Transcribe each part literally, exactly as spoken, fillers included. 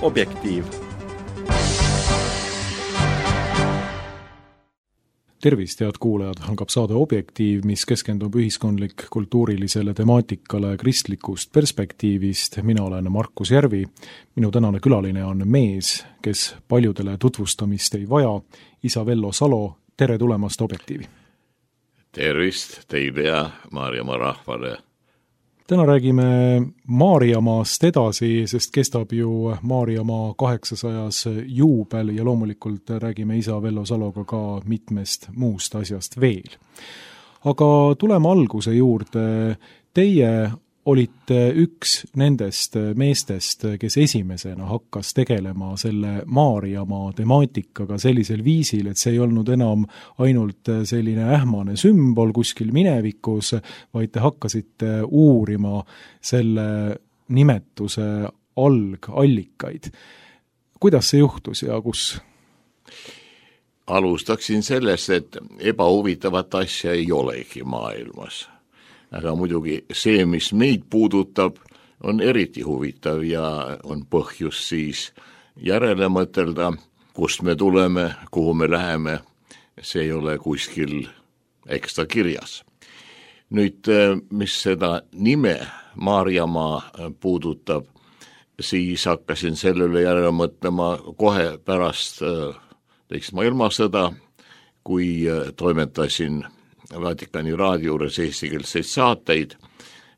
Objektiiv. Tervist, head kuulajad, algab saade Objektiiv, mis keskendub ühiskondlik kultuurilisele temaatikale kristlikust perspektiivist. Mina olen Markus Järvi. Minu tänane külaline on mees, kes paljudele tutvustamist ei vaja. Isa Vello Salo, tere tulemast Objektiivi. Tervist teile ja Maarjamaa rahvale. Täna räägime Maarjamaast edasi, sest kestab ju Maarjamaa kaheksasajas juubel ja loomulikult räägime isa Vello Saloga ka mitmest muust asjast veel. Aga tuleme alguse juurde. Teie olite üks nendest meestest, kes esimesena hakkas tegelema selle Maarjamaa temaatikaga sellisel viisil, et see ei olnud enam ainult selline ähmane sümbol kuskil minevikus, vaid te hakkasite uurima selle nimetuse algallikaid. Kuidas see juhtus ja kus? Alustaksin sellest, et ebahuvitavat asja ei olegi maailmas. Aga muidugi see, mis meid puudutab, on eriti huvitav ja on põhjus siis järele mõtelda, kust me tuleme, kuhu me läheme. See ei ole kuskil ekstra kirjas. Nüüd, mis seda nime Maarjamaa puudutab, siis hakkasin selle üle järele mõtlema kohe pärast teist maailmasõda, kui toimetasin Vatikani raadio juures eestikeelseid saateid,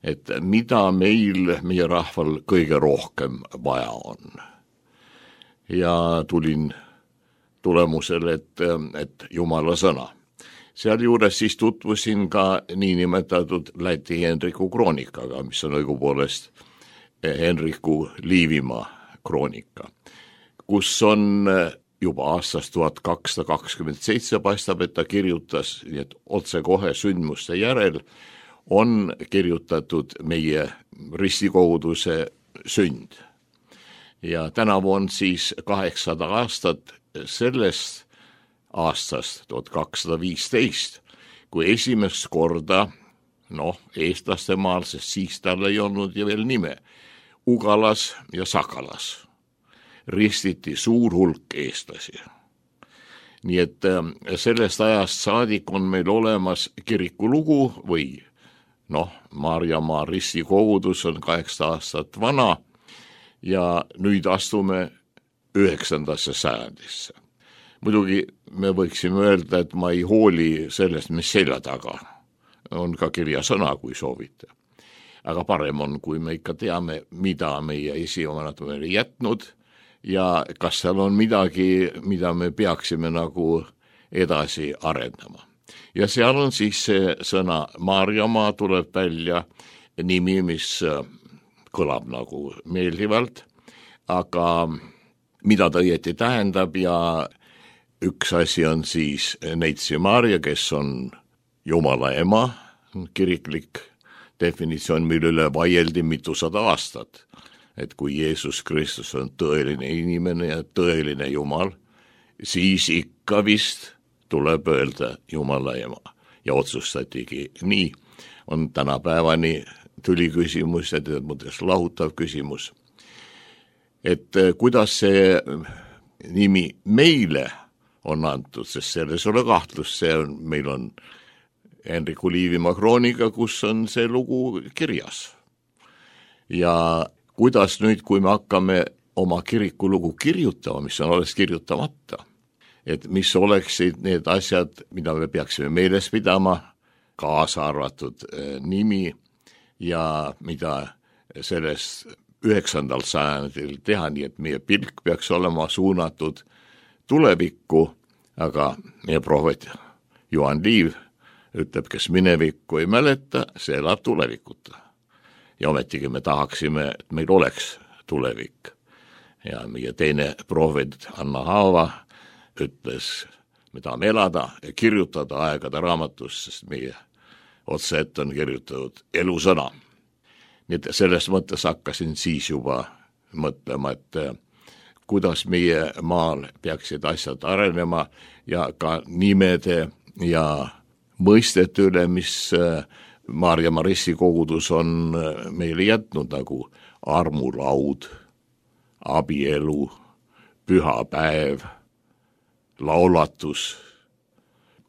et mida meil, meie rahval kõige rohkem vaja on. Ja tulin tulemusele, et, et Jumala sõna. Seal juures siis tutvusin ka niinimetatud Läti Henriku kroonikaga, mis on õigupoolest Henriku Liivimaa kroonika, kus on juba aastast tuhat kakssada kakskümmend seitse paistab, et ta kirjutas, nii et otse kohe sündmuste järel on kirjutatud meie ristikoguduse sünd. Ja tänavu on siis kaheksasada aastat sellest aastast, tuhat kakssada viisteist, kui esimest korda, noh, eestlaste maal, sest siis tal ei olnud ja veel nime, Ugalas ja Sakalas ristiti suur hulk eestlasi. Nii et sellest ajast saadik on meil olemas kirikulugu või noh, Maarjamaa ristikogudus on kaheksa aastat vana ja nüüd astume üheksandasse sajandisse. Muidugi me võiksime öelda, et ma ei hooli sellest, mis selja taga on ka kirjasõna, kui soovite. Aga parem on, kui me ikka teame, mida meie esivanemad on meile jätnud ja kas seal on midagi, mida me peaksime nagu edasi arendama. Ja seal on siis see sõna Maarjamaa tuleb välja nimi, mis kõlab nagu meeldivalt, aga mida ta õieti tähendab ja üks asi on siis Neitsi Maarja, kes on Jumala ema, kiriklik definitsioon, mille üle vaieldi mitusada aastat. Et kui Jeesus Kristus on tõeline inimene ja tõeline Jumal, siis ikka vist tuleb öelda Jumala ema. Ja otsustatigi nii, on tänapäevani tuli küsimus ja tead mõttes lahutav küsimus. Et kuidas see nimi meile on antud, sest selles ole kahtlus, see on, meil on Henriku Liivimaa kroonika, kus on see lugu kirjas. Ja kuidas nüüd, kui me hakkame oma kirikulugu kirjutama, mis on alles kirjutamata, et mis oleksid need asjad, mida me peaksime meeles pidama, kaasa arvatud nimi ja mida sellest üheksandal sajandil teha, nii et meie pilk peaks olema suunatud tulevikku, aga meie prohvet Juhan Liiv ütleb, kes minevikku ei mäleta, see elab tulevikuta. Ja ometigi me tahaksime, et meil oleks tulevik. Ja meie teine prohvet Anna Haava ütles, me tahame elada ja kirjutada aegade raamatus, sest meie otse ette on kirjutatud elusõna. Nii et selles mõttes hakkasin siis juba mõtlema, et kuidas meie maal peaksid asjad arenema ja ka nimede ja mõistete üle, mis Maarjamaa ristikogudus on meile jätnud, nagu armulaud, abielu, pühapäev, laulatus,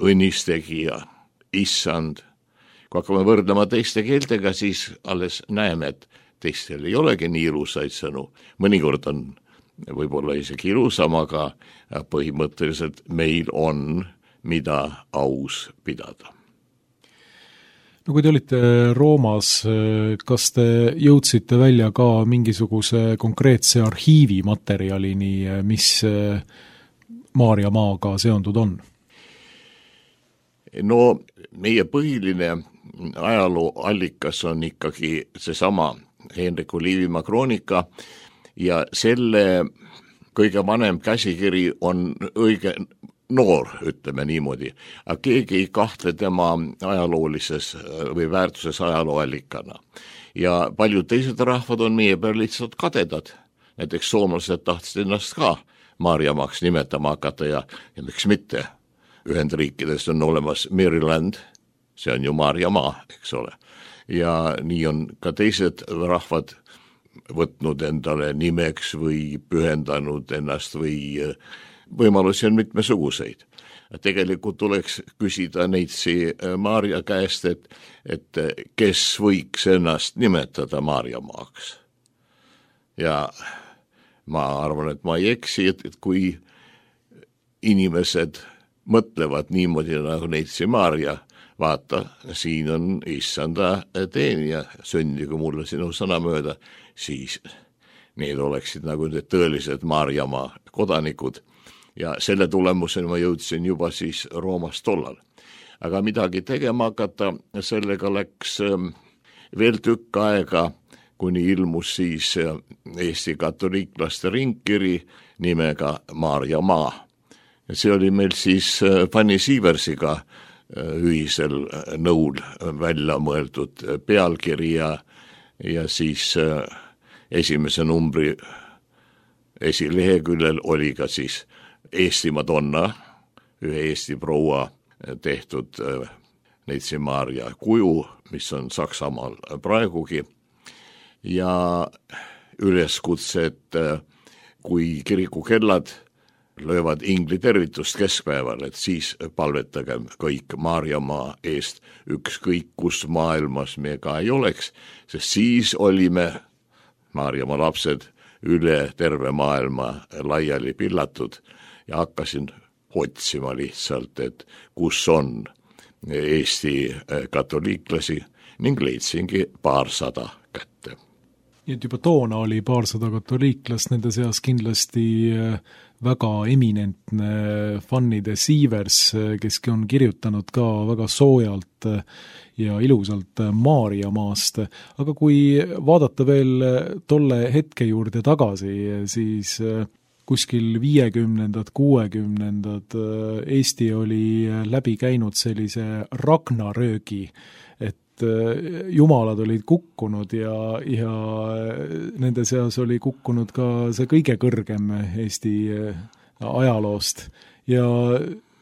õnnistegija, issand. Kui hakkame võrdlema teiste keeltega, siis alles näeme, et teistel ei olegi nii ilusaid sõnu. Mõnikord on võib-olla isegi ilusam, aga põhimõtteliselt meil on, mida aus pidada. No kui te olite Roomas, kas te jõudsite välja ka mingisuguse konkreetse arhiivi materjalini, mis Maarjamaaga seondud on? No meie põhiline ajalooallikas on ikkagi seesama Henriku Liivimaa kroonika ja selle kõige vanem käsikiri on õige noor, ütleme niimoodi, aga keegi ei kahtle tema ajaloolises või väärtuses ajalooallikana. Ja paljud teised rahvad on meie peal lihtsalt kadedad. Näiteks soomlased tahtsid ennast ka Maarjamaaks nimetama hakata ja, ja miks mitte. Ühendriikides on olemas Maryland, see on ju Maarjamaa, eks ole. Ja nii on ka teised rahvad võtnud endale nimeks või pühendanud ennast või võimalusi on mitmesuguseid. Tegelikult tuleks küsida neitsi Maarja käest, et, et kes võiks ennast nimetada Maarjamaaks. Ja ma arvan, et ma ei eksi, et, et kui inimesed mõtlevad niimoodi nagu neitsi Maarja, vaata, siin on issanda teenija, sündigu mulle sinu sõna mööda, siis need oleksid nagu need tõelised Maarjamaa kodanikud. Ja selle tulemusena ma jõudsin juba siis Roomas tollal. Aga midagi tegema hakata, sellega läks veel tükk aega, kuni ilmus siis Eesti katoliiklaste ringkiri nimega Maarjamaa. Ja see oli meil siis Fanny Siiversiga ühisel nõul välja mõeldud pealkiri ja, ja siis esimese numbri esileheküljel oli ka siis Eesti Madonna, ühe Eesti proua tehtud neitsi Maarja kuju, mis on Saksamaal praegugi, ja üleskutse, et kui kirikukellad löövad ingli tervitust keskpäeval, et siis palvetagem kõik Maarjamaa eest, ükskõik kus maailmas me ka ei oleks, sest siis olime Maarjamaa lapsed üle terve maailma laiali pillatud ja hakkasin otsima lihtsalt, et kus on Eesti katoliiklasi ning leidsingi paarsada kätte. Nii et juba toona oli paarsada katoliiklast, nende seas kindlasti väga eminentne Fanny de Siivers, keski on kirjutanud ka väga soojalt ja ilusalt Maarjamaast. Aga kui vaadata veel tolle hetke juurde tagasi, siis kuskil viiekümnendad, kuuekümnendad Eesti oli läbi käinud sellise ragnaröögi, et jumalad olid kukkunud ja, ja nende seas oli kukkunud ka see kõige kõrgem Eesti ajaloost. Ja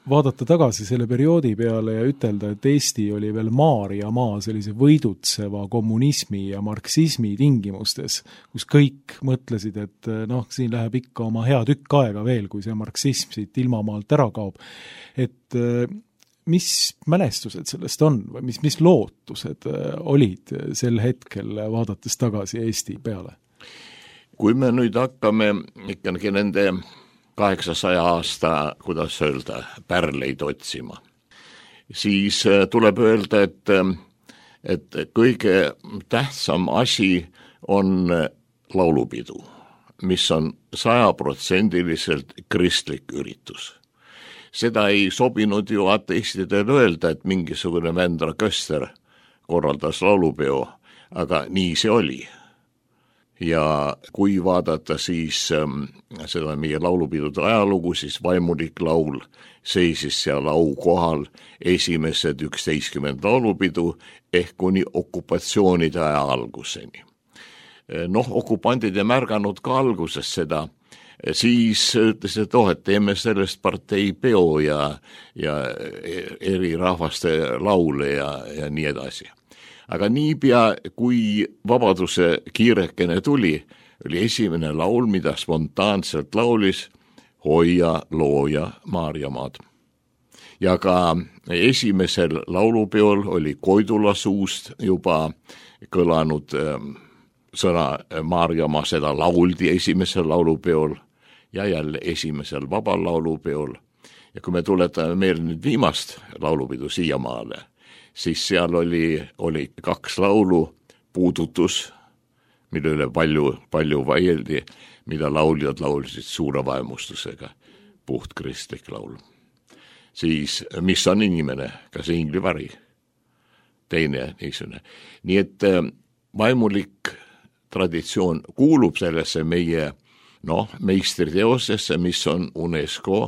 vaadata tagasi selle perioodi peale ja ütelda, et Eesti oli veel Maarjamaa sellise võidutseva kommunismi ja marksismi tingimustes, kus kõik mõtlesid, et noh, siin läheb ikka oma hea tükk aega veel, kui see marksism siit ilmamaalt ära kaob. Et mis mälestused sellest on või mis, mis lootused olid sel hetkel, vaadates tagasi Eesti peale? Kui me nüüd hakkame ikkagi nende kaheksasaja aasta, kuidas öelda, pärleid otsima, siis tuleb öelda, et, et kõige tähtsam asi on laulupidu, mis on sajaprotsendiliselt kristlik üritus. Seda ei sobinud ju ateistidel öelda, et mingisugune Vändra Köster korraldas laulupeo, aga nii see oli. Ja kui vaadata siis ähm, seda meie laulupidude ajalugu, siis vaimulik laul seisis seal au kohal esimesed üksteistkümmend laulupidu ehk kuni okupatsioonide aja alguseni. Noh, okupandid ei märganud ka alguses seda, siis ütles, et oh, et teeme sellest partei peo ja, ja eri rahvaste laule ja, ja nii edasi. Aga niipea, kui vabaduse kiirekene tuli, oli esimene laul, mida spontaanselt laulis hoia looja Maarjamaad. Ja ka esimesel laulupeol oli Koidula suust juba kõlanud sõna Maarjamaa, seda lauldi esimesel laulupeol ja jälle esimesel vabal laulupeol. Ja kui me tuletame meelde nüüd viimast laulupidu siiamaale, siis seal oli, oli kaks laulu, Puudutus, mille üle palju, palju vaieldi, mida lauljad laulsid suure vaemustusega, puht kristlik laul. Siis Mis on inimene, kas inglivari, teine niisugune. Nii et vaimulik traditsioon kuulub sellesse meie noh, meistriteosesse, mis on UNESCO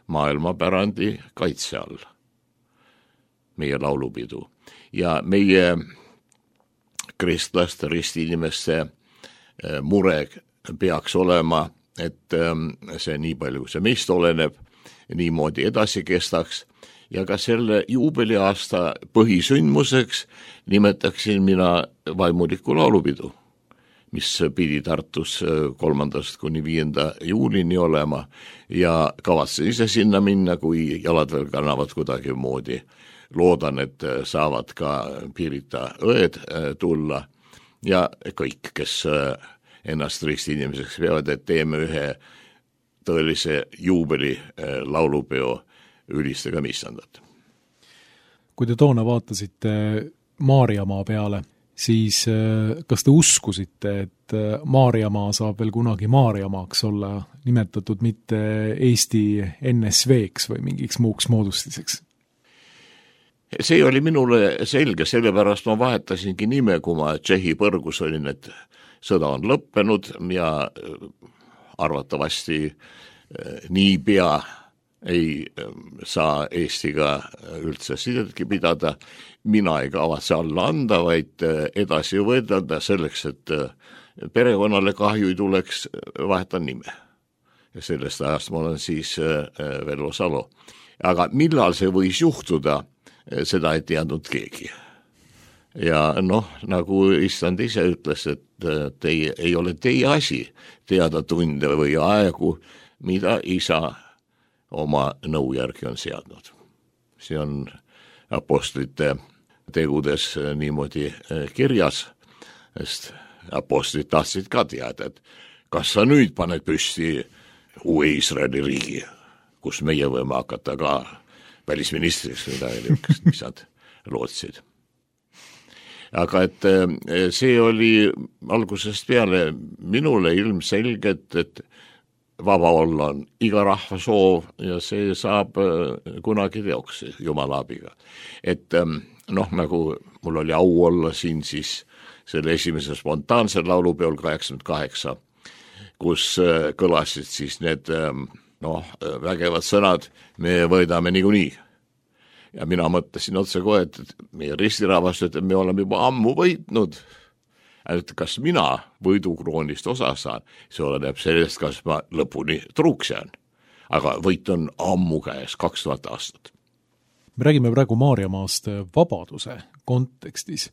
maailmapärandi kaitse all, meie laulupidu. Ja meie kristlaste, ristiinimeste mure peaks olema, et see nii palju, see meist oleneb, niimoodi edasi kestaks ja ka selle juubeliaasta põhisündmuseks nimetaksin mina vaimuliku laulupidu, mis pidi Tartus kolmandast kuni viienda juulini olema ja kavatsen ise sinna minna, kui jalad veel kannavad kuidagi moodi. Loodan, et saavad ka Pirita õed tulla ja kõik, kes ennast ristiinimeseks peavad, et teeme ühe tõelise juubeli laulupeo ülistega missandat. Kui te toona vaatasite Maarjamaa peale, siis kas te uskusite, et Maarjamaa saab veel kunagi Maarjamaaks olla nimetatud mitte Eesti N S V-ks või mingiks muuks moodustiseks? See oli minule selge, sellepärast ma vahetasingi nime, kui ma Tšehhi põrgus olin, et sõda on lõppenud ja arvatavasti nii pea ei saa Eestiga üldse sidetki pidada. Mina ei kavatse alla anda, vaid edasi võidelda selleks, et perekonnale kahju ei tuleks, vahetan nime. Ja sellest ajast ma olen siis Vello Salo. Aga millal see võis juhtuda, seda ei teadnud keegi. Ja noh, nagu Issand ise ütles, et teie, ei ole teie asi teada tunde või aegu, mida isa oma nõu järgi on seadnud. See on apostlite tegudes niimoodi kirjas, sest apostlid tahtsid ka teada, et kas sa nüüd paned püsti uue Iisraeli riigi, kus meie võime hakata ka välisministriks või midagi, mis nad lootsid. Aga et see oli algusest peale minule ilmselgelt, et vaba olla on iga rahva soov ja see saab kunagi teoks Jumala abiga. Et noh, nagu mul oli au olla siin siis selle esimese spontaanse laulupeol kaheksakümmend kaheksa, kus kõlasid siis need noh, vägevad sõnad, me võidame niikuinii. Ja mina mõtlesin otse kohe, et meie ristirahvas, et me oleme juba ammu võitnud. Et kas mina võidukroonist osa saan, see oleneb sellest, kas ma lõpuni truuks jään. Aga võit on ammu käes, kaks tuhat aastat. Me räägime praegu Maarjamaast vabaduse kontekstis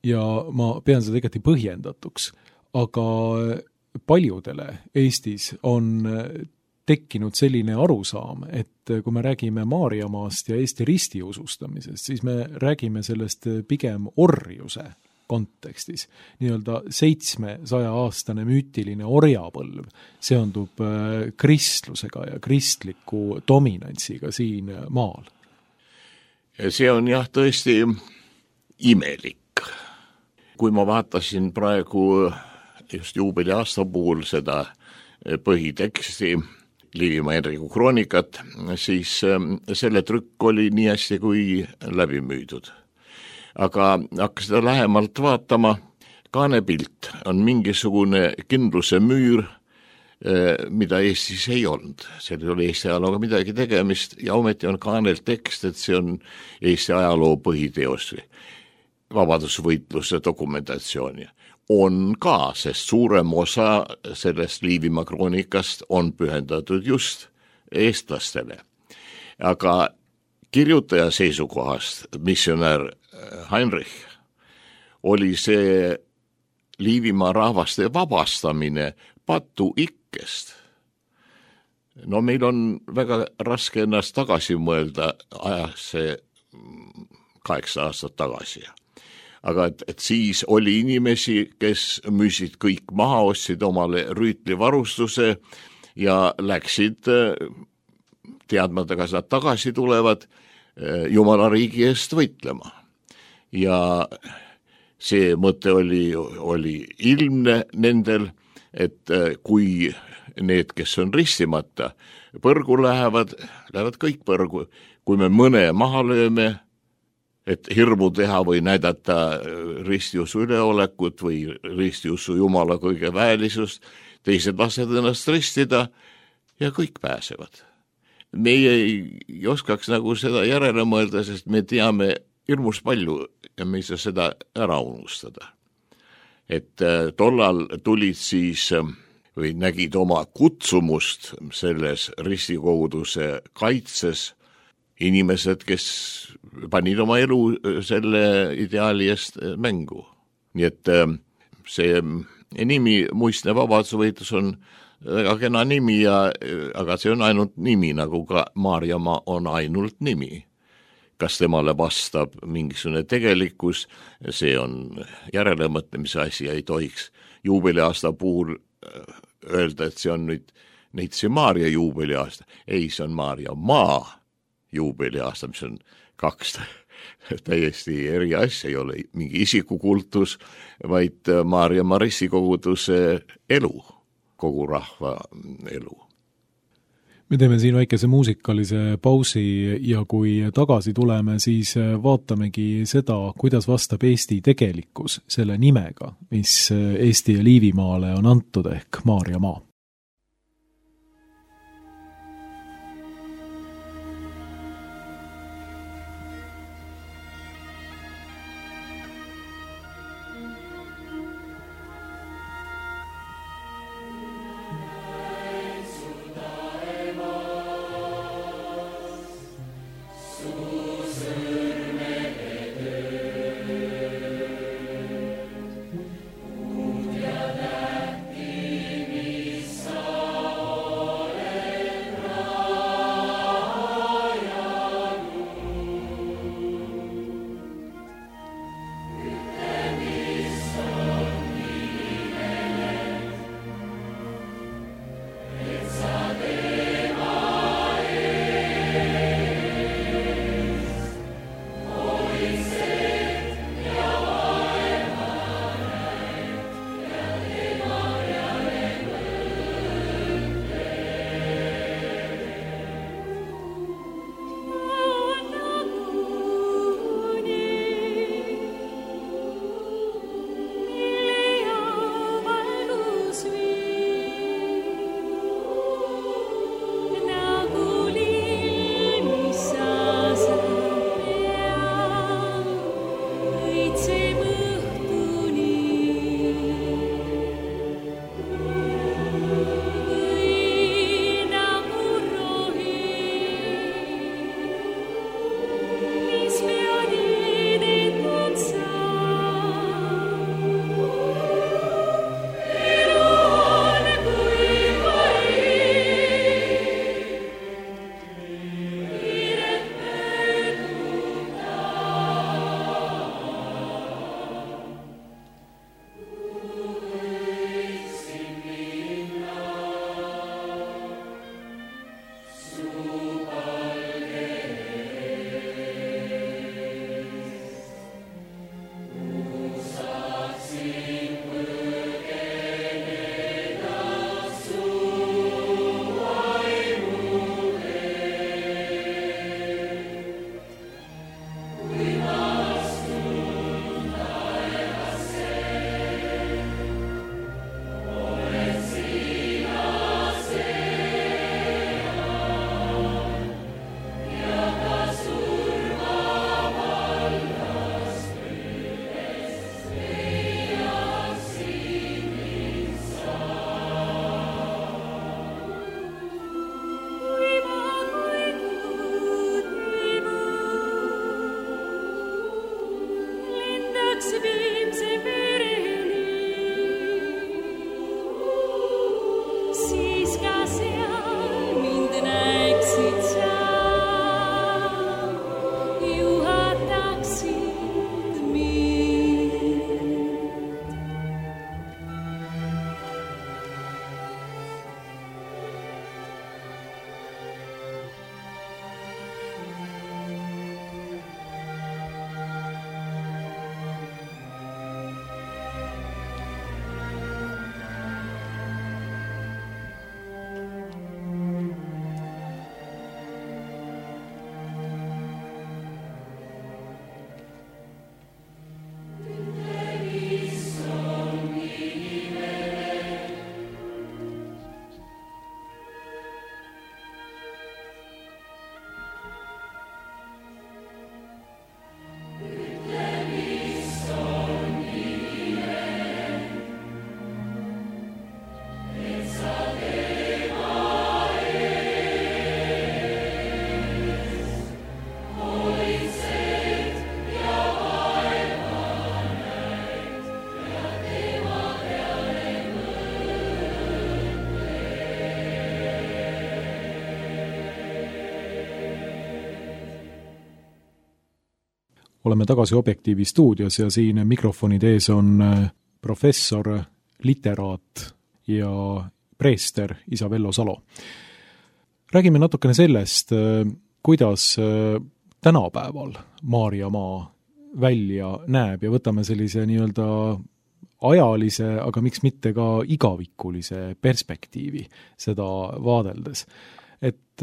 ja ma pean seda igati põhjendatuks, aga paljudele Eestis on tekkinud selline arusaam, et kui me räägime Maarjamaast ja Eesti ristiusustamisest, siis me räägime sellest pigem orjuse kontekstis. Nii-öelda seitsmesaja aastane müütiline orjapõlv seondub kristlusega ja kristliku dominantsiga siin maal. See on jah tõesti imelik. Kui ma vaatasin praegu just juubeli aasta puhul seda põhiteksti Liivimaa Henriku kroonikat, siis selle trükk oli nii hästi kui läbi müüdud. Aga hakka seda lähemalt vaatama, kaanepilt on mingisugune kindluse müür, mida Eestis ei olnud. Seal oli Eesti ajalooga midagi tegemist ja ometi on kaanel tekst, et see on Eesti ajaloo põhiteos, vabadusvõitluse dokumentatsiooni. On ka, sest suurem osa sellest Liivimaa kroonikast on pühendatud just eestlastele. Aga kirjutaja seisukohast, missionär Heinrich, oli see Liivimaa rahvaste vabastamine patuikkest. No meil on väga raske ennast tagasi mõelda ajasse kaheksa aastat tagasi. Aga et, et siis oli inimesi, kes müüsid kõik maha, ostsid omale rüütlivarustuse ja läksid teadmata, kas nad tagasi tulevad, Jumala riigi eest võitlema. Ja see mõte oli, oli ilmne nendel, et kui need, kes on ristimata, põrgu lähevad, lähevad kõik põrgu. Kui me mõne maha lööme, et hirmu teha või näidata ristiusu üleolekut või ristiusu Jumala kõige väelisust, teised lased ennast ristida ja kõik pääsevad. Meie ei, ei oskaks nagu seda järele mõelda, sest me teame hirmus palju ja me ei saa seda ära unustada. Et tollal tulid siis või nägid oma kutsumust selles ristikoguduse kaitses inimesed, kes panid oma elu selle ideaali eest mängu. Nii et see nimi Muistne vabadusvõitlus on väga kena nimi, ja, aga see on ainult nimi, nagu ka Maarjamaa on ainult nimi. Kas temale vastab mingisugune tegelikkus, see on järelemõtlemise asi, ei tohiks juubeliaasta puhul öelda, et see on nüüd Neitsi Maarja juubeliaasta. Ei, see on Maarjamaa juubeliaasta, mis on kaks täiesti eri asja, ei ole mingi isikukultus, vaid Maarjamaa ristikoguduse elu, kogu rahva elu. Me teeme siin väikese muusikalise pausi ja kui tagasi tuleme, siis vaatamegi seda, kuidas vastab Eesti tegelikkus selle nimega, mis Eesti ja Liivimaale on antud ehk Maarjamaa. oleme tagasi Objektiivi stuudios ja siin mikrofonide ees on professor, literaat ja preester isa Vello Salo. Räägime natukene sellest, kuidas tänapäeval Maarjamaa välja näeb ja võtame sellise nii-öelda ajalise, aga miks mitte ka igavikulise perspektiivi seda vaadeldes. Et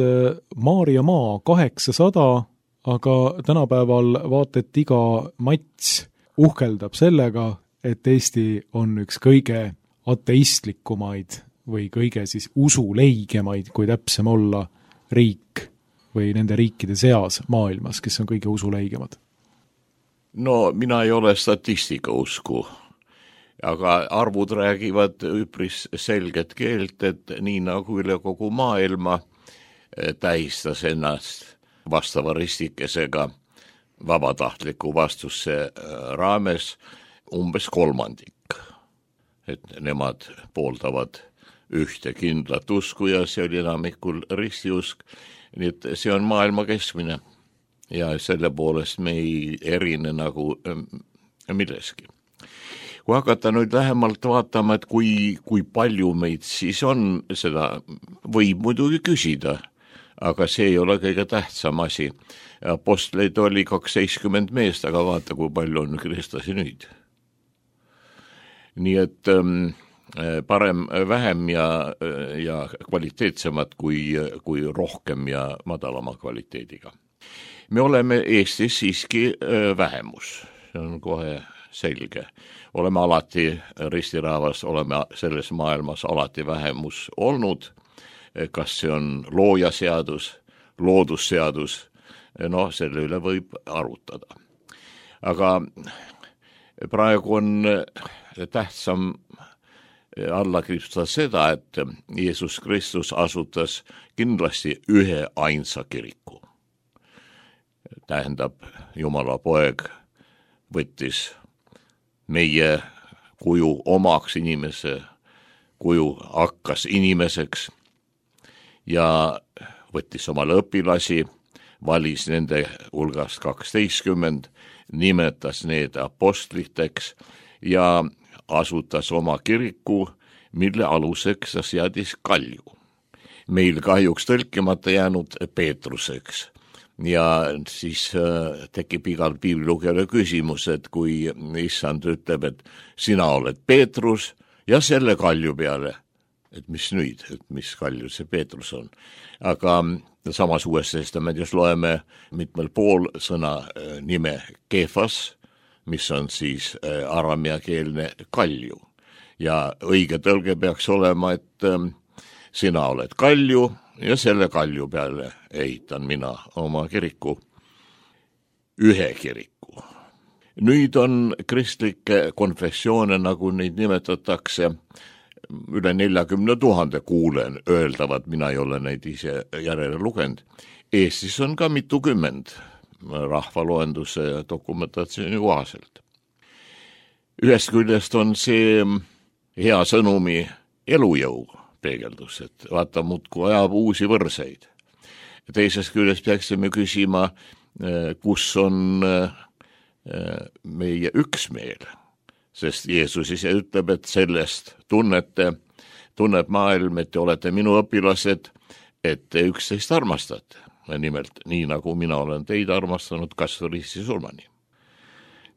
Maarjamaa kaheksasada, aga tänapäeval vaat, et iga mats uhkeldab sellega, et Eesti on üks kõige ateistlikumaid või kõige siis usuleigemaid, kui täpsem olla, riik või nende riikide seas maailmas, kes on kõige usuleigemad. No mina ei ole statistika usku, aga arvud räägivad üpris selget keelt, et nii nagu üle kogu maailma tähistas ennast vastava ristikesega vabatahtliku vastuse raames umbes kolmandik. Et nemad pooldavad ühte kindlat usku ja see oli enamikul ristiusk, nii et see on maailma keskmine ja selle poolest me ei erine nagu milleski. Kui hakata nüüd lähemalt vaatama, et kui, kui palju meid siis on, seda võib muidugi küsida, aga see ei ole kõige tähtsam asi. Apostleid oli kaksteistkümmend meest, aga vaata, kui palju on kristlasi nüüd. Nii et ähm, parem vähem ja, ja kvaliteetsemad kui, kui rohkem ja madalama kvaliteediga. Me oleme Eestis siiski vähemus, see on kohe selge. Oleme alati ristirahvas, oleme selles maailmas alati vähemus olnud, kas see on loojaseadus, loodusseadus, no selle üle võib arutada. Aga praegu on tähtsam alla kriipstada seda, et Jeesus Kristus asutas kindlasti ühe ainsa kiriku. Tähendab, Jumala poeg võttis meie kuju omaks inimese, kuju hakkas inimeseks ja võttis omale õpilasi, valis nende hulgast kaksteistkümmend, nimetas need apostliteks ja asutas oma kiriku, mille aluseks seadis Kalju. Meil kahjuks tõlkimata jäänud Peetruseks. Ja siis äh, tekib igal piiblilugejale küsimus, et kui issand ütleb, et sina oled Peetrus ja selle Kalju peale, et mis nüüd, et mis Kalju see Peetrus on. Aga samas uues testamendis loeme mitmel pool sõna äh, nime Kefas, mis on siis äh, aramiakeelne Kalju. Ja õige tõlge peaks olema, et äh, sina oled Kalju, ja selle Kalju peale ehitan mina oma kiriku, ühe kiriku. Nüüd on kristlikke konfessioone, nagu neid nimetatakse, üle neljakümne tuhande kuulen öeldavat, mina ei ole neid ise järele lugenud. Eestis on ka mitukümmend rahvaloenduse dokumentatsiooni kohaselt. Ühest küljest on see hea sõnumi elujõu peegeldus, et vaata muudkui ajab uusi võrseid. Teisest küljest peaksime küsima, kus on meie üksmeel, sest Jeesus ise ütleb, et sellest tunnete, tunneb maailm, et te olete minu õpilased, et te üksteist armastate. Nimelt, nii nagu mina olen teid armastanud kasvõi risti surmani.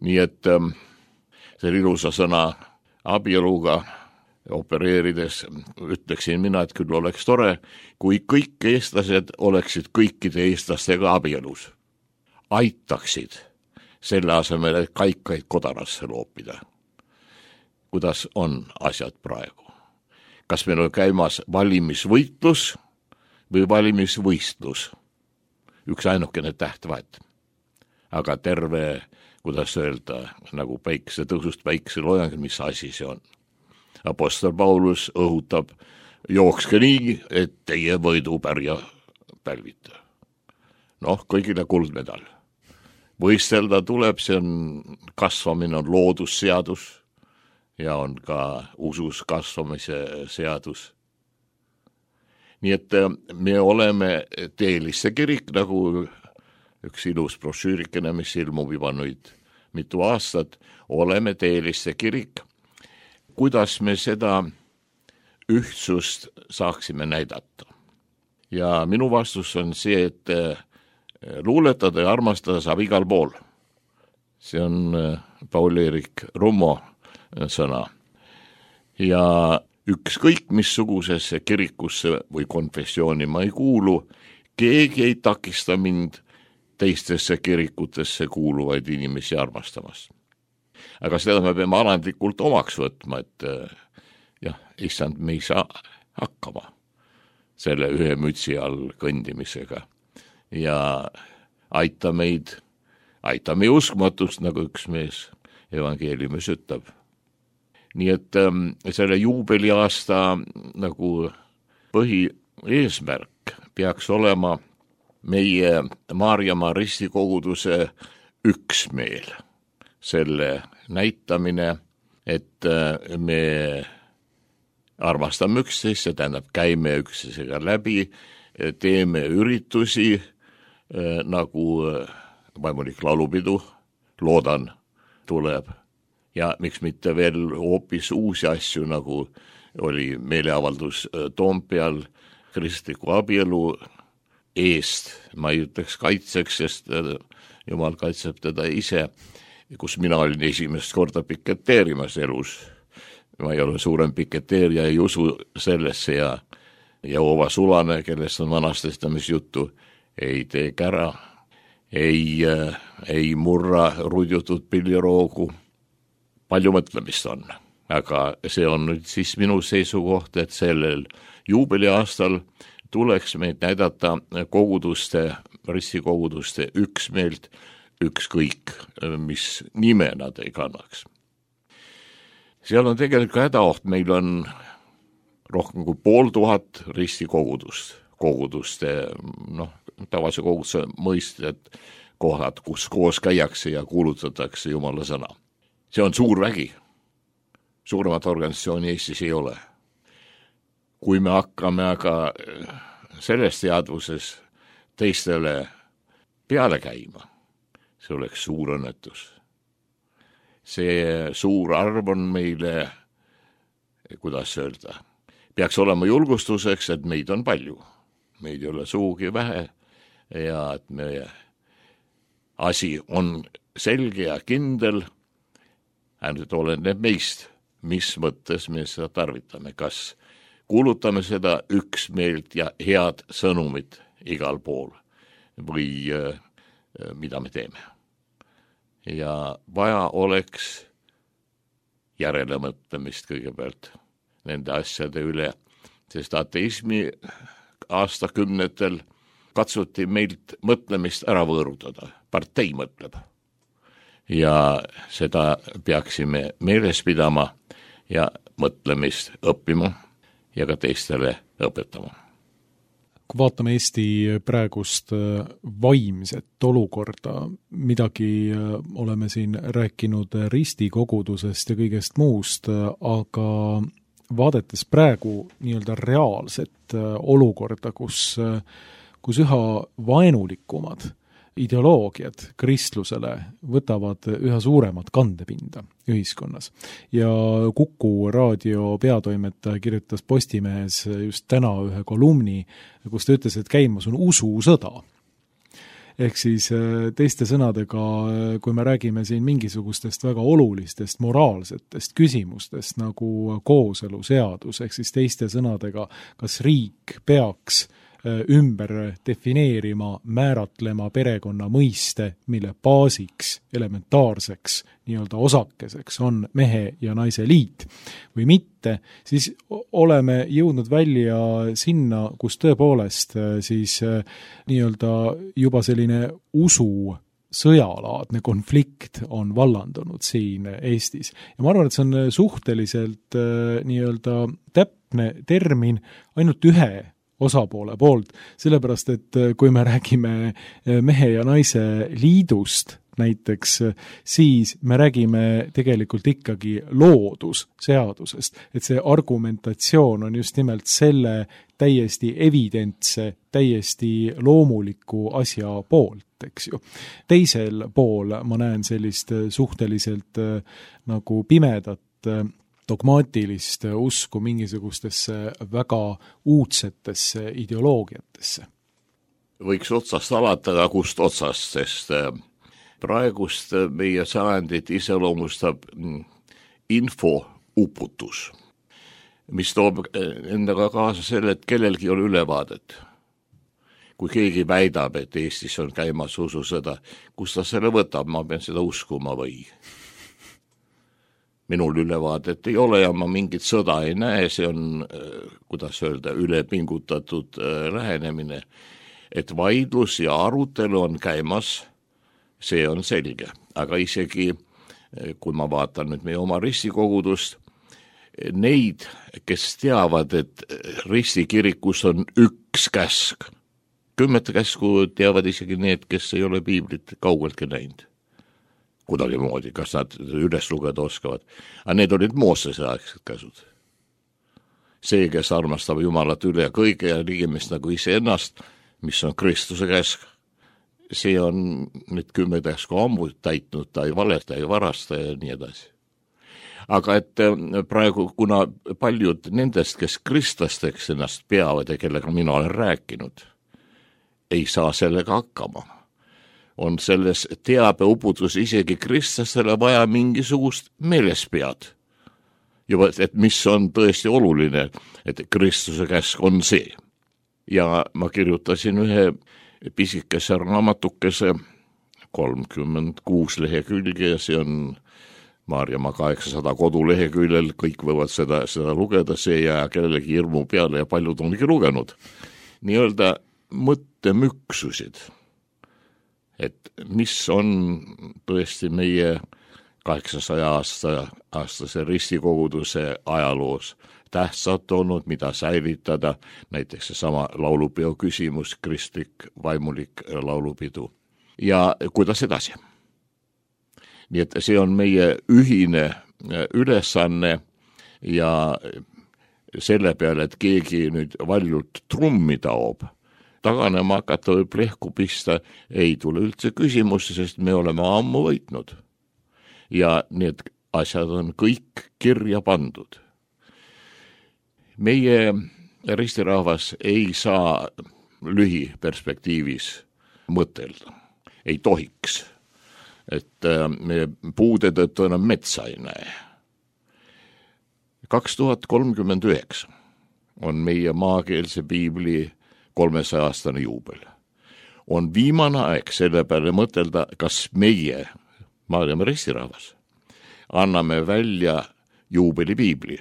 Nii et selle ilusa sõna abieluga opereerides ütleksin mina, et küll oleks tore, kui kõik eestlased oleksid kõikide eestlastega abielus. Aitaksid selle asemel, et kaikaid kodarasse loopida. Kuidas on asjad praegu? Kas meil on käimas valimisvõitlus või valimisvõistlus? Üks ainukene täht vahet. Aga terve, kuidas öelda, nagu päikse tõusust päikse loojang, mis asi see on? Apostel Paulus õhutab, jookske nii, et teie võidupärja pälvita. Noh, kõigile kuldmedal. Võistelda tuleb, see on kasvamine, on loodusseadus ja on ka usus kasvamise seadus. Nii et me oleme teelisse kirik, nagu üks ilus brošüürikene, mis ilmub juba nüüd mitu aastat, oleme teeliste kirik. Kuidas me seda ühtsust saaksime näidata? Ja minu vastus on see, et luuletada ja armastada saab igal pool. See on Paul-Eerik Rummo sõna. Ja ükskõik missugusesse kirikusse või konfessiooni ma ei kuulu, keegi ei takista mind teistesse kirikutesse kuuluvaid inimesi armastamast. Aga seda me peame alandlikult omaks võtma, et jah, issand, me ei saa hakkama selle ühe mütsi all kõndimisega. Ja aita meid, aita meie uskmatust, nagu üks mees evangeeliumis ütleb. Nii et ähm, selle juubeliaasta nagu põhieesmärk peaks olema meie Maarjamaa ristikoguduse üksmeel. Selle näitamine, et me armastame üksteist, see tähendab käime üksteisega läbi, teeme üritusi nagu vaimulik laulupidu, loodan, tuleb. Ja miks mitte veel hoopis uusi asju, nagu oli meeleavaldus Toompeal kristliku abielu eest, ma ei ütleks kaitseks, sest Jumal kaitseb teda ise, kus mina olin esimest korda piketeerimas elus. Ma ei ole suurem piketeerija, ei usu sellesse ja Jehoova sulane, kellest on vanastestamis juttu, ei tee kära, ei, ei murra rudjutud pilliroogu. Palju mõtlemist on, aga see on nüüd siis minu seisukoht, et sellel juubeliaastal tuleks meid näidata koguduste, ristikoguduste üksmeelt, ükskõik, mis nime nad ei kannaks. Seal on tegelikult hädaoht, meil on rohkem kui pool tuhat ristikogudust, koguduste, noh, tavalise koguduse mõisted, kohad, kus koos käiakse ja kuulutatakse Jumala sõna. See on suur vägi. Suuremat organisatsiooni Eestis ei ole. Kui me hakkame aga selles teadvuses teistele peale käima, see oleks suur õnnetus. See suur arv on meile, kuidas öelda, peaks olema julgustuseks, et meid on palju. Meid ei ole suugi vähe ja et meie asi on selge ja kindel, ainult oleneb meist, mis mõttes me seda tarvitame, kas kuulutame seda üksmeelt ja head sõnumit igal pool või äh, mida me teeme. Ja vaja oleks järelemõtlemist kõigepealt nende asjade üle, sest ateismi aastakümnetel katsuti meilt mõtlemist ära võõrutada, partei mõtleb. Ja seda peaksime meeles pidama ja mõtlemist õppima ja ka teistele õpetama. Kui vaatame Eesti praegust vaimset olukorda, midagi oleme siin rääkinud ristikogudusest ja kõigest muust, aga vaadates praegu nii-öelda reaalset olukorda, kus, kus üha vaenulikumad ideoloogiad kristlusele võtavad üha suuremat kandepinda ühiskonnas. Ja Kuku raadio peatoimetaja kirjutas Postimehes just täna ühe kolumni, kus ta ütles, et käimas on ususõda. Ehk siis teiste sõnadega, kui me räägime siin mingisugustest väga olulistest moraalsetest küsimustest nagu kooseluseadus, ehk siis teiste sõnadega, kas riik peaks ümber defineerima, määratlema perekonna mõiste, mille baasiks, elementaarseks, nii-öelda osakeseks on mehe ja naise liit või mitte, siis oleme jõudnud välja sinna, kus tõepoolest siis nii-öelda juba selline usu sõjalaadne konflikt on vallandunud siin Eestis. Ja ma arvan, et see on suhteliselt nii-öelda täpne termin ainult ühe osapoole poolt, sellepärast, et kui me räägime mehe ja naise liidust, näiteks, siis me räägime tegelikult ikkagi loodusseadusest, et see argumentatsioon on just nimelt selle täiesti evidentse, täiesti loomuliku asja poolt, eks ju. Teisel pool ma näen sellist suhteliselt nagu pimedat dogmaatilist usku mingisugustesse väga uudsetesse ideoloogiatesse. Võiks otsast alata, aga kust otsast, sest praegust meie sajandit iseloomustab infouputus, mis toob endaga kaasa selle, et kellelgi on ülevaadet. Kui keegi väidab, et Eestis on käimas ususõda, kus ta selle võtab, ma pean seda uskuma või? Minul ülevaadet ei ole ja ma mingit sõda ei näe, see on, kuidas öelda, ülepingutatud lähenemine, et vaidlus ja arutelu on käimas, see on selge. Aga isegi, kui ma vaatan nüüd meie oma ristikogudust, neid, kes teavad, et ristikirikus on üks käsk, kümmet käsku teavad isegi need, kes ei ole piiblit kaugeltki näinud. Kuidagi moodi, kas nad üles lugeda oskavad. Aga need olid Moosese aegsed käsud. See, kes armastab Jumalat üle kõige ja liigimist nagu iseennast, mis on Kristuse käsk, see on need kümme käsku ammu täitnud, ta ei valeta, ei varasta ja nii edasi. Aga et praegu, kuna paljud nendest, kes kristlasteks ennast peavad ja kellega mina olen rääkinud, ei saa sellega hakkama, on selles teabeuputus isegi kristlastele vaja mingisugust meelespead. Juba, et mis on tõesti oluline, et Kristuse käsk on see. Ja ma kirjutasin ühe pisikese raamatukese, kolmkümmend kuus lehekülge ja see on Maarjamaa kaheksasada koduleheküljel, kõik võivad seda, seda lugeda, see jää kellelegi hirmu peale ja paljud ongi lugenud. Nii-öelda mõttemüksusid, et mis on tõesti meie kaheksasaja aasta, aastase ristikoguduse ajaloos tähtsad olnud, mida säilitada, näiteks seesama laulupeo küsimus, kristlik, vaimulik laulupidu ja kuidas edasi. Nii et see on meie ühine ülesanne ja selle peale, et keegi nüüd valjult trummi taob, taganema hakata või plehku pista, ei tule üldse küsimusse, sest me oleme ammu võitnud. Ja need asjad on kõik kirja pandud. Meie ristirahvas ei saa lühiperspektiivis mõtelda, ei tohiks, et me puude tõttu enam metsa ei näe. kaks tuhat kolmkümmend üheksa on meie maakeelse piibli kolmesaja aastane juubel. On viimane aeg selle peale mõtelda, kas meie, Maarjamaa ristirahvas, anname välja juubeli piibli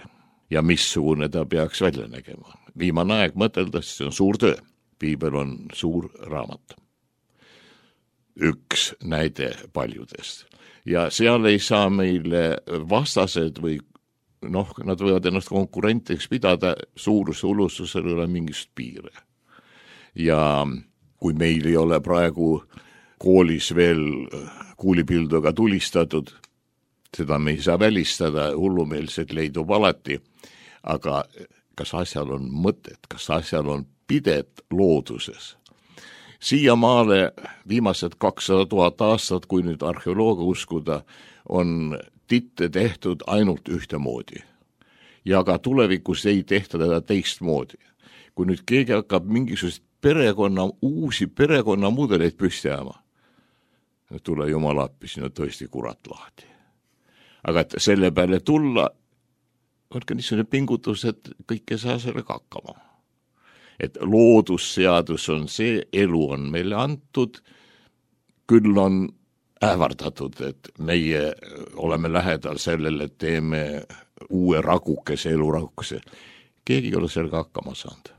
ja missugune ta peaks välja nägema. Viimane aeg mõtelda, see on suur töö. Piibel on suur raamat. Üks näide paljudest. Ja seal ei saa meile vastased või noh, nad võivad ennast konkurentideks pidada, suuruse ulustusel ei ole mingist piire. Ja kui meil ei ole praegu koolis veel kuulipilduga tulistatud, seda me ei saa välistada, hullumeelset leidub alati, aga kas asjal on mõtet, kas asjal on pidet looduses? Siiamaale viimased kakssada tuhat aastat, kui nüüd arheoloogia uskuda, on titte tehtud ainult ühtemoodi. Ja ka tulevikus ei tehta teda teistmoodi. Kui nüüd keegi hakkab mingisugust perekonna, uusi perekonnamudeleid püsti ajama, tule Jumal appi, siin on tõesti kurat lahti. Aga et selle peale tulla, on ka niisugune pingutus, et kõik ei saa sellega hakkama. Et loodusseadus on see, elu on meile antud, küll on ähvardatud, et meie oleme lähedal sellele, et teeme uue ragukese, eluragukese. Keegi ei ole sellega hakkama saanud.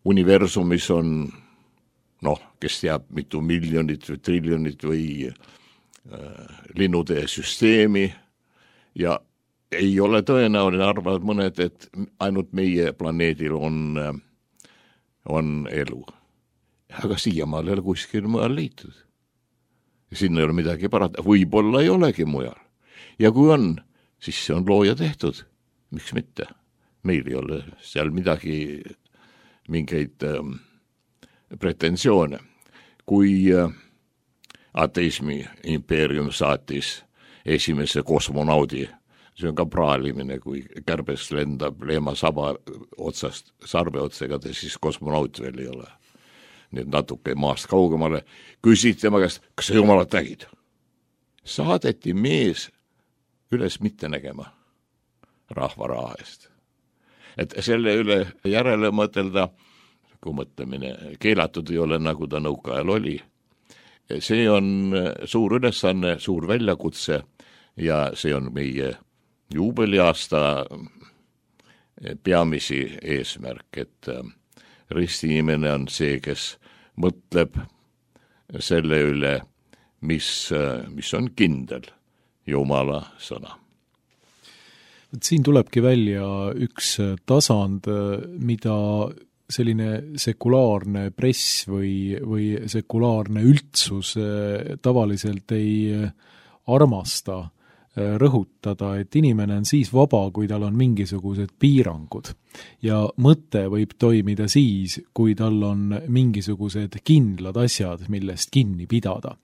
Universumis on, noh, kes teab mitu miljonit või triljonit või äh, linnutee süsteemi ja ei ole tõenäoline arvavad mõned, et ainult meie planeedil on, on elu. Aga siiamaal ei ole kuskil mujal leitud. Sinna ei ole midagi parata, võib-olla ei olegi mujal. Ja kui on, siis see on looja tehtud. Miks mitte? Meil ei ole seal midagi, mingeid äh, pretensioone. Kui äh, ateismi impeerium saatis esimese kosmonaudi, see on ka praalimine, kui kärbes lendab leema saba otsast, sarve otsaga, siis kosmonaut veel ei ole. Nüüd natuke maast kaugemale, küsid tema käest, kas sa jumalat nägid? Saadeti mees üles mitte nägema rahva raha eest. Et selle üle järele mõtelda, kui mõtlemine keelatud ei ole, nagu ta nõukaajal oli, see on suur ülesanne, suur väljakutse ja see on meie juubeliaasta peamisi eesmärk, et ristiinimene on see, kes mõtleb selle üle, mis, mis on kindel Jumala sõna. Siin tulebki välja üks tasand, mida selline sekulaarne press või, või sekulaarne üldsus tavaliselt ei armasta rõhutada, et inimene on siis vaba, kui tal on mingisugused piirangud. Ja mõte võib toimida siis, kui tal on mingisugused kindlad asjad, millest kinni pidada.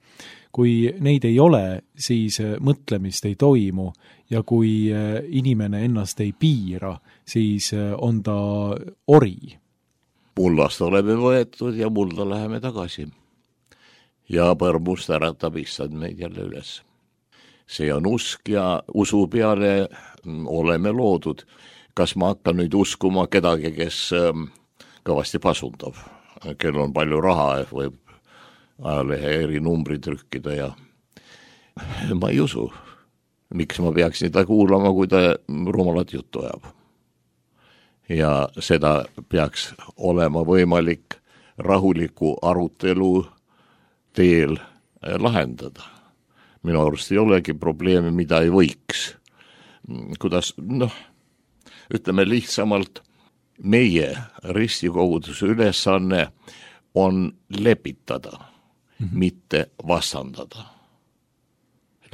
Kui neid ei ole, siis mõtlemist ei toimu ja kui inimene ennast ei piira, siis on ta ori. Mullast oleme võetud ja mulda läheme tagasi. Ja põrmust äratab issand meid jälle üles. See on usk ja usu peale oleme loodud. Kas ma hakkan nüüd uskuma kedagi, kes kõvasti pasundab, kel on palju raha, võib ajalehe eri numbrid trükkida ja ma ei usu. Miks ma peaksin ta kuulama, kui ta rumalat juttu ajab? Ja seda peaks olema võimalik rahuliku arutelu teel lahendada. Minu arust ei olegi probleemi, mida ei võiks. Kuidas, noh, ütleme lihtsamalt, meie ristikoguduse ülesanne on lepitada, mm-hmm. mitte vastandada.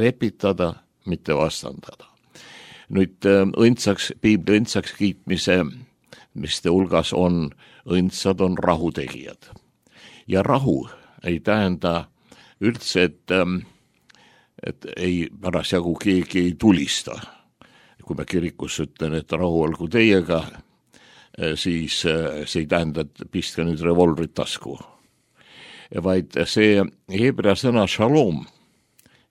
Lepitada, mitte vastandada. Nüüd õndsaks, piibli õndsaks kiitmise, mis te hulgas on, õndsad on rahutegijad. Ja rahu ei tähenda üldse, et et ei parasjagu keegi ei tulista. Kui me kirikus ütlen, et rahu olgu teiega, siis see ei tähenda, et pistke nüüd revolvrit tasku. Vaid see heebrea sõna shalom,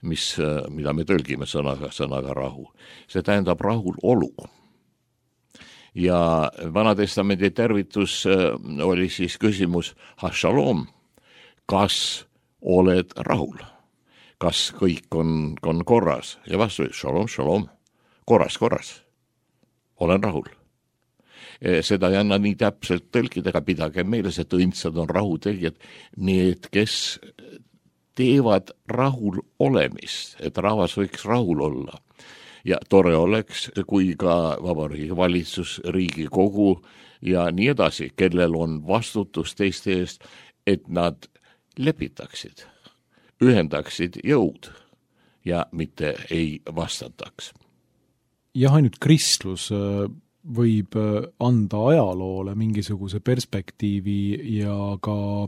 mis, mida me tõlgime sõnaga, sõnaga rahu, see tähendab rahul olu. Ja Vanatestamendi tervitus oli siis küsimus, ha shalom, kas oled rahul? Kas kõik on, on korras? Ja vastu, shalom, shalom, korras, korras, olen rahul. Seda ei anna nii täpselt tõlkida, aga pidage meeles, et õndsad on rahutegijad, need, kes teevad rahul olemist, et rahvas võiks rahul olla. Ja tore oleks, kui ka Vabariigi valitsus, Riigikogu ja nii edasi, kellel on vastutus teiste eest, et nad lepitaksid, ühendaksid jõud ja mitte ei vastataks. Jah, ainult kristlus võib anda ajaloole mingisuguse perspektiivi ja ka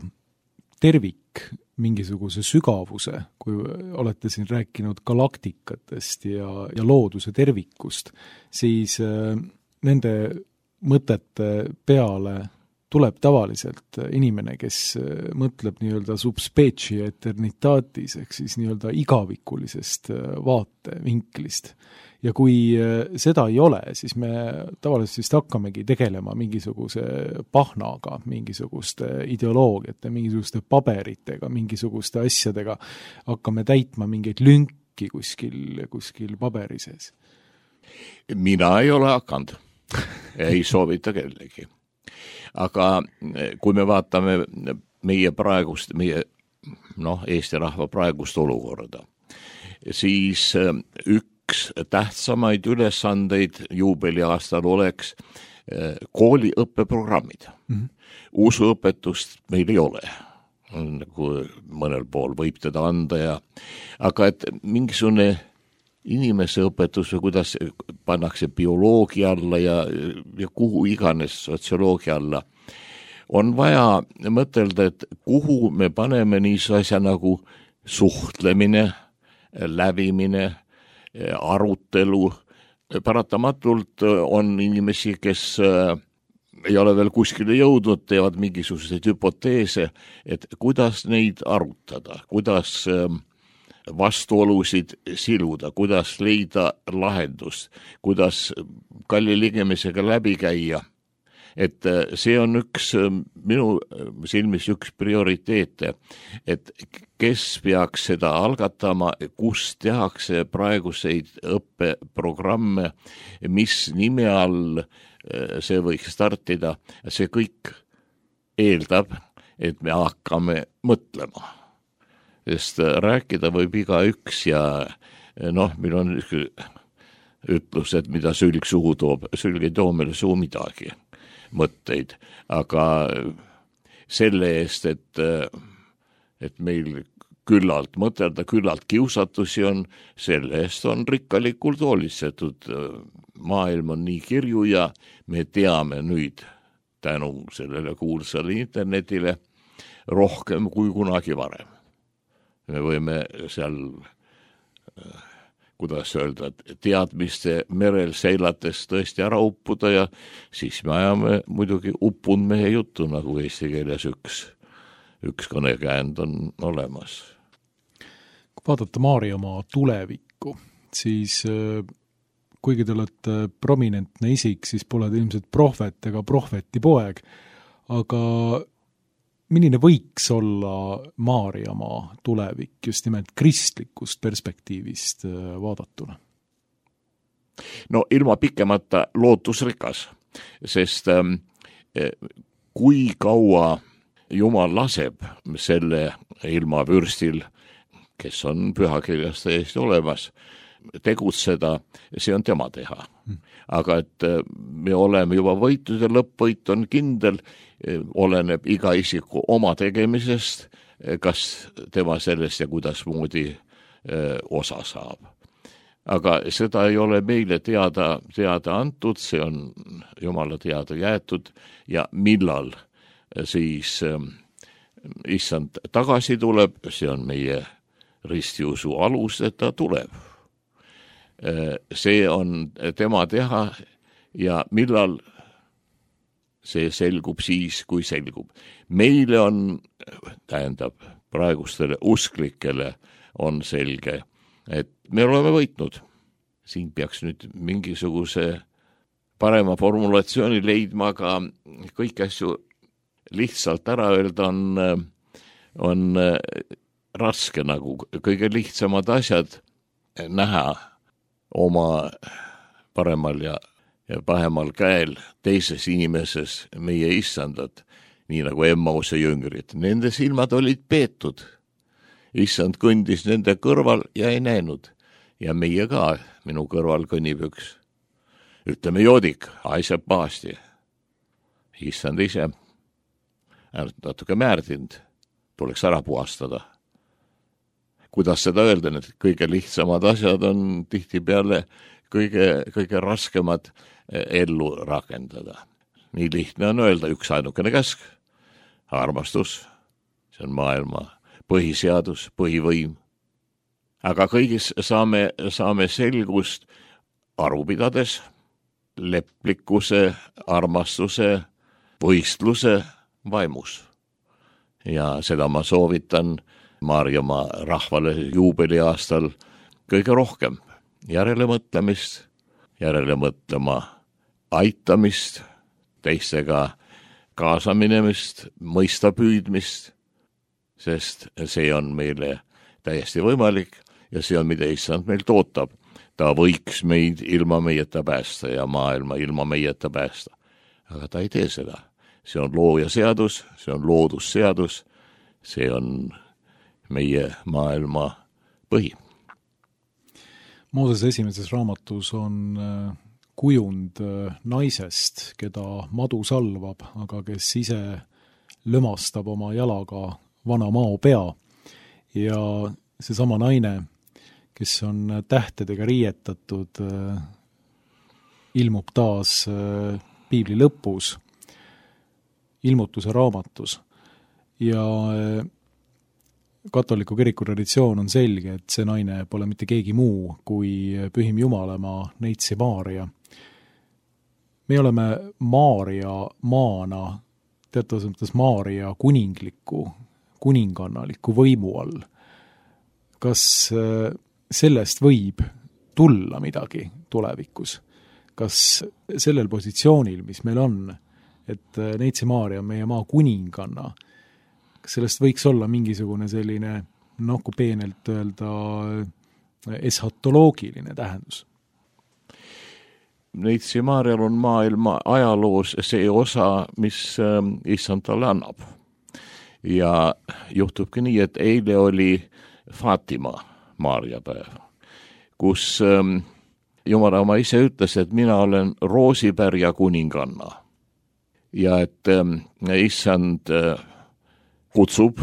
tervik mingisuguse sügavuse, kui olete siin rääkinud galaktikatest ja, ja looduse tervikust, siis nende mõtete peale tuleb tavaliselt inimene, kes mõtleb nii-öelda subspecie eternitatis, ehk siis nii-öelda igavikulisest vaatevinklist. Ja kui seda ei ole, siis me tavaliselt vist hakkamegi tegelema mingisuguse pahnaga, mingisuguste ideoloogiate, mingisuguste paberitega, mingisuguste asjadega, hakkame täitma mingeid lünki kuskil, kuskil paberi sees. Mina ei ole hakanud, ei soovita kellegi. Aga kui me vaatame meie praegust, meie noh, Eesti rahva praegust olukorda, siis üks tähtsamaid ülesandeid juubeliaastal oleks kooliõppeprogrammid. Mm-hmm. Usuõpetust meil ei ole. nagu mõnel pool võib teda anda ja aga et mingisugune inimese õpetus või kuidas pannakse bioloogia alla ja, ja kuhu iganes sotsioloogia alla, on vaja mõtelda, et kuhu me paneme niisuguse asja nagu suhtlemine, lävimine, arutelu. Paratamatult on inimesi, kes ei ole veel kuskile jõudnud, teevad mingisuguseid hüpoteese, et kuidas neid arutada, kuidas vastuolusid siluda, kuidas leida lahendust, kuidas kalli ligemisega läbi käia. Et see on üks minu silmis üks prioriteete, et kes peaks seda algatama, kus tehakse praeguseid õppeprogramme, mis nime all see võiks startida, see kõik eeldab, et me hakkame mõtlema. Sest rääkida võib iga üks ja noh, meil on ütlus, et mida sülg suhu toob, sülg ei too meile suhu midagi mõtteid, aga selle eest, et, et meil küllalt mõtelda, küllalt kiusatusi on, selle eest on rikkalikult hoolitsetud. Maailm on nii kirju ja me teame nüüd tänu sellele kuulsale internetile rohkem kui kunagi varem. Me võime seal, kuidas öelda, teadmiste merel seilates tõesti ära uppuda ja siis me ajame muidugi uppunud mehe juttu, nagu eesti keeles üks, üks kõnekäänd on olemas. Kui vaadata Maarjamaa tulevikku, siis kuigi te olete prominentne isik, siis pole te ilmselt prohvet ega prohveti poeg, aga milline võiks olla Maarjamaa tulevik just nimelt kristlikust perspektiivist vaadatuna? No ilma pikemata lootusrikas, sest kui kaua Jumal laseb selle ilmavürstil, kes on pühakirjas täiesti olemas, tegutseda, see on tema teha. Aga et me oleme juba võitud ja lõppvõit on kindel, oleneb iga isiku oma tegemisest, kas tema sellest ja kuidas moodi osa saab. Aga seda ei ole meile teada, teada antud, see on Jumala teada jäetud ja millal siis issand tagasi tuleb, see on meie ristiusu alus, et ta tuleb. See on tema teha ja millal see selgub siis, kui selgub. Meile on, tähendab, praegustele usklikele on selge, et me oleme võitnud. Siin peaks nüüd mingisuguse parema formulatsiooni leidma, aga kõik asju lihtsalt ära öelda on, on raske nagu kõige lihtsamad asjad näha oma paremal ja, ja pahemal käel teises inimeses meie issandat, nii nagu Emmause jüngrid. Nende silmad olid peetud. Issand kõndis nende kõrval ja ei näinud. Ja meie ka, minu kõrval kõnnib üks. Ütleme joodik, haiseb pahasti. Issand ise, natuke määrdind, tuleks ära puhastada. Kuidas seda öelda, need kõige lihtsamad asjad on tihtipeale kõige, kõige raskemad ellu rakendada. Nii lihtne on öelda üks ainukene käsk, armastus, see on maailma põhiseadus, põhivõim. Aga kõigis saame, saame selgust aru pidades, leplikkuse, armastuse, võistluse vaimus. Ja seda ma soovitan Maarjamaa rahvale juubeliaastal kõige rohkem järele mõtlemist, järele mõtlema aitamist, teistega kaasaminemist, mõista püüdmist, sest see on meile täiesti võimalik ja see on, mida issand meilt ootab. Ta võiks meid ilma meieta päästa ja maailma ilma meieta päästa. Aga ta ei tee seda. See on looja seadus, see on loodusseadus, see on meie maailma põhi. Mooses esimeses raamatus on kujund naisest, keda madu salvab, aga kes ise lömastab oma jalaga vana maopea ja seesama naine, kes on tähtedega riietatud, ilmub taas piibli lõpus, ilmutuse raamatus ja katoliku kiriku traditsioon on selge, et see naine pole mitte keegi muu kui pühim Jumalamaa Neitsi Maarja. Me oleme Maarja maana, teatavas mõttes Maarja kuningliku, kuningannaliku võimu all. Kas sellest võib tulla midagi tulevikus? Kas sellel positsioonil, mis meil on, et Neitsi Maarja on meie maa kuninganna, kas sellest võiks olla mingisugune selline, noh, kui peenelt öelda, eschatoloogiline tähendus? Neitsi Maarjal on maailma ajaloos see osa, mis issand talle annab. Ja juhtubki nii, et eile oli Fatima Maarja päev, kus Jumala oma ise ütles, et mina olen Roosipärja kuninganna ja et issand kutsub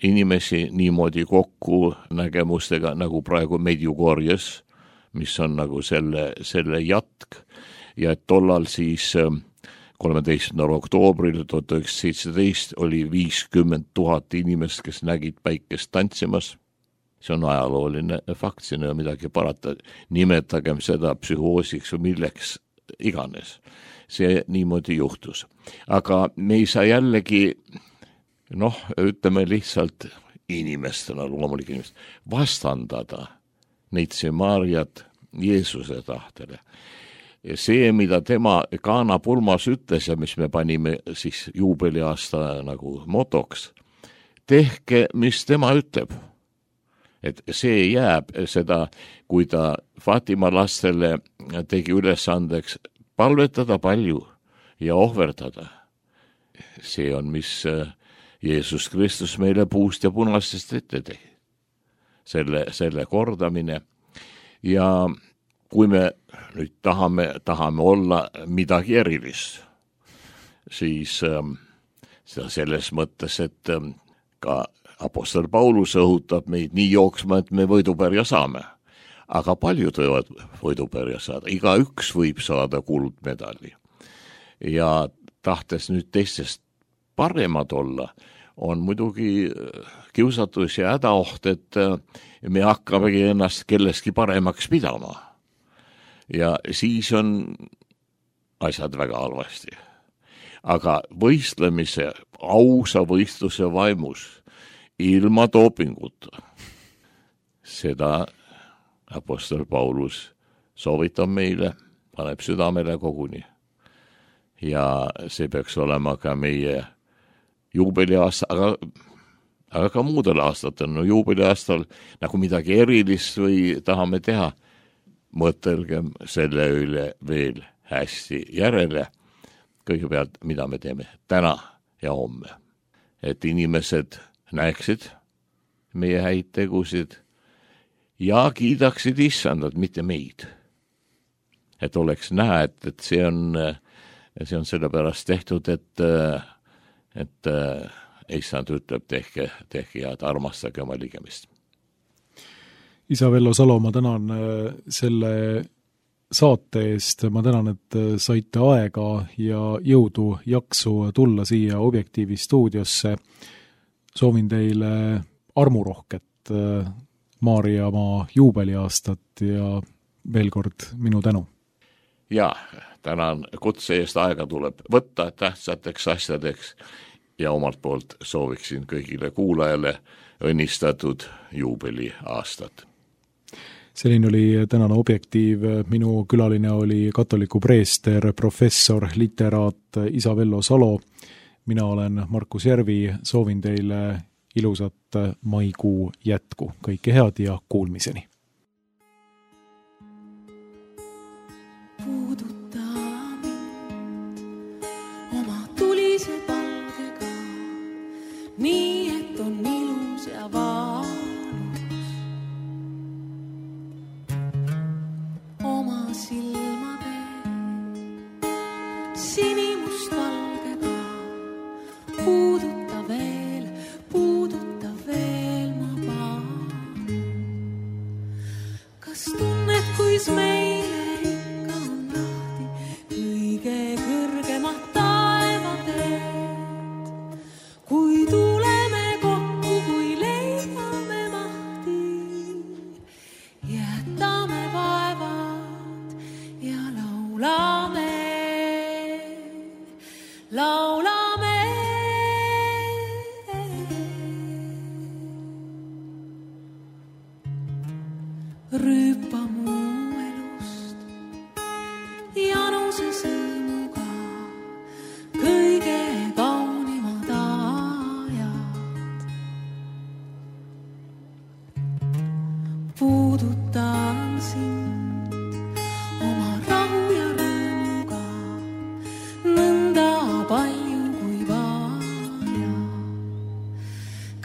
inimesi niimoodi kokku nägemustega, nagu praegu Medjugorjes, mis on nagu selle, selle jatk ja et tollal siis kolmeteistkümnendal oktoobril tuhat üheksasada seitseteist oli viiskümmend tuhat inimest, kes nägid päikest tantsimas. See on ajalooline fakt, siin ei ole midagi parata, nimetagem seda psühhoosiks või milleks iganes. See niimoodi juhtus. Aga me ei saa jällegi, noh, ütleme lihtsalt inimestena, loomulik inimest, vastandada Neitsi Maarjat Jeesuse tahtele. Ja see, mida tema Kaana pulmas ütles ja mis me panime siis juubeliaasta nagu motoks, tehke, mis tema ütleb. Et see jääb seda, kui ta Fatima lastele tegi ülesandeks palvetada palju ja ohverdada. See on, mis Jeesus Kristus meile puust ja punastest ette tegi. Selle, selle kordamine. Ja kui me nüüd tahame, tahame olla midagi erilist, siis ähm, seda selles mõttes, et ähm, ka apostol Paulus õhutab meid nii jooksma, et me võidupärja saame. Aga paljud võivad võidupärja saada. Iga üks võib saada kuldmedali. Ja tahtes nüüd teistest paremad olla, on muidugi kiusatus ja hädaoht, et me hakkamegi ennast kelleski paremaks pidama. Ja siis on asjad väga halvasti. Aga võistlemise, ausa võistluse vaimus, ilma dopinguta, seda apostol Paulus soovitab meile, paneb südamele koguni. Ja see peaks olema ka meie juubeliaasta, aga, aga ka muudel aastatel, no juubeliaastal nagu midagi erilist või tahame teha, mõtelgem selle üle veel hästi järele, kõigepealt, mida me teeme täna ja homme. Et inimesed näeksid meie häid tegusid ja kiidaksid issandat, mitte meid. Et oleks näha, et, et see on, see on sellepärast tehtud, et, et issand ütleb, tehke, tehke ja armastage oma ligemist. Isa Vello Salo, ma tänan selle saate eest, ma tänan, et saite aega ja jõudu, jaksu tulla siia Objektiivi stuudiosse. Soovin teile armurohket Maarjamaa juubeliaastat ja veel kord minu tänu. Ja, tänan kutse eest, aega tuleb võtta tähtsateks asjadeks ja omalt poolt sooviksin kõigile kuulajale õnnistatud juubeliaastat. Selline oli tänane Objektiiv. Minu külaline oli katoliku preester, professor, literaat Isa Vello Salo. Mina olen Markus Järvi, soovin teile ilusat maikuu jätku. Kõike head ja kuulmiseni. Puuduta mind oma tulise palgega, nii et on ilus ja valus. Oma silmade sinimust valgega puuduta veel, puuduta rüüpa mu elust januse sõõmuga kõige kaunimad ajad. Puudutan sind oma rahu ja rõõmuga nõnda palju kui vaja.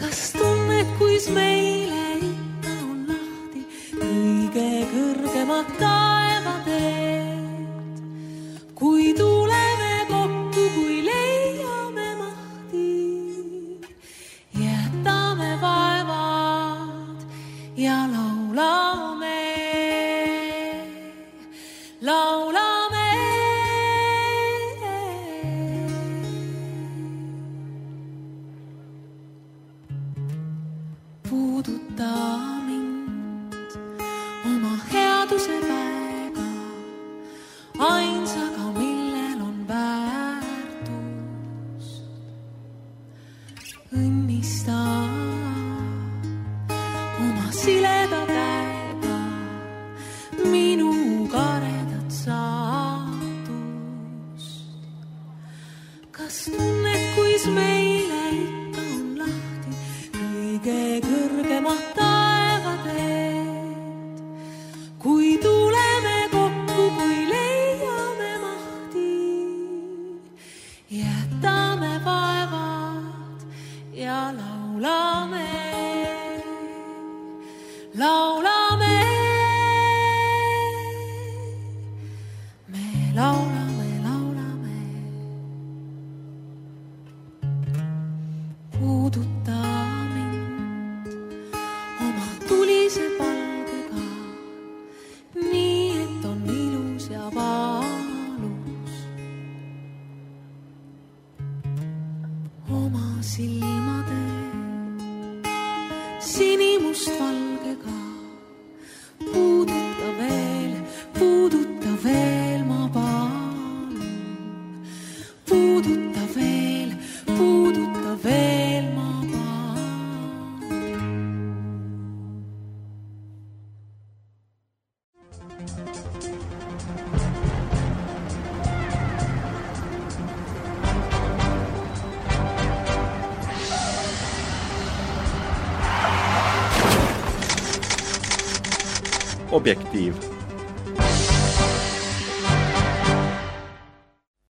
Kas tunned, kuis meile ikka on lahti kõige kõrgemad taevateed, kui tuleme kokku, kui leiame mahti, jätame vaevad ja laulame, laulame. Puuduta mind oma headuse väega, ainsaga, millel on väärtus. Õnnista oma sileda käega minu karedat saatust. Kas tunned, kuis meile ikka on lahti kõige kõrgemad taevateed, kui tuleme kokku, kui leiame mahti, jätame vaevad ja laulame, laulame, me laulame, laulame. Puuduta mind oma tulise palgega, nii et on ilus ja valus. Oma silmade sinimust valgega puuduta veel, puuduta veel, ma palun. Puuduta veel, puuduta veel, ma palun. Objektiiv.